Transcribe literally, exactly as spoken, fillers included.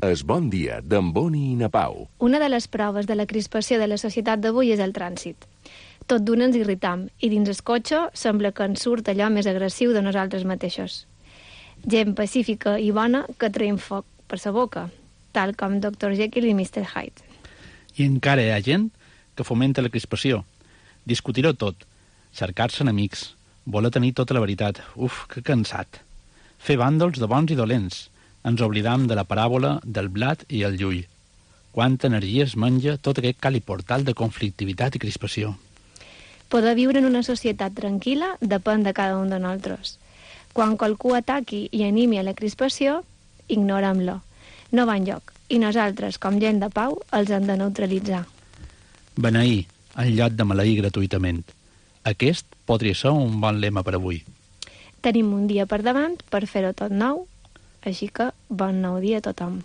Es Bon Dia, d'en Boni i na Pau. Una de les proves de la crispació de la societat d'avui és el trànsit. Tot d'una ens irritam, i dins el cotxe sembla que ens surt allò més agressiu de nosaltres mateixos. Gent pacífica i bona que traiem foc per sa boca, tal com doctor Jekyll i mister Hyde. I encara hi ha gent que fomenta la crispació. Discutir-ho tot, cercar-se enemics, voler tenir tota la veritat. Uf, que cansat. Fer bàndols de bons i dolents. Ens oblidam de la paràbola del blat i el llull. Quanta energia es menja tot aquest caliportal de conflictivitat i crispació. Poder viure en una societat tranquil·la depèn de cada un de nosaltres. Quan qualcú ataqui i animi a la crispació, ignorem-lo. No va enlloc, i nosaltres, com gent de pau, els hem de neutralitzar. Beneir, en lloc de maleir gratuïtament. Aquest podria ser un bon lema per avui. Tenim un dia per davant per fer-ho tot nou, així que bon nou dia a tothom.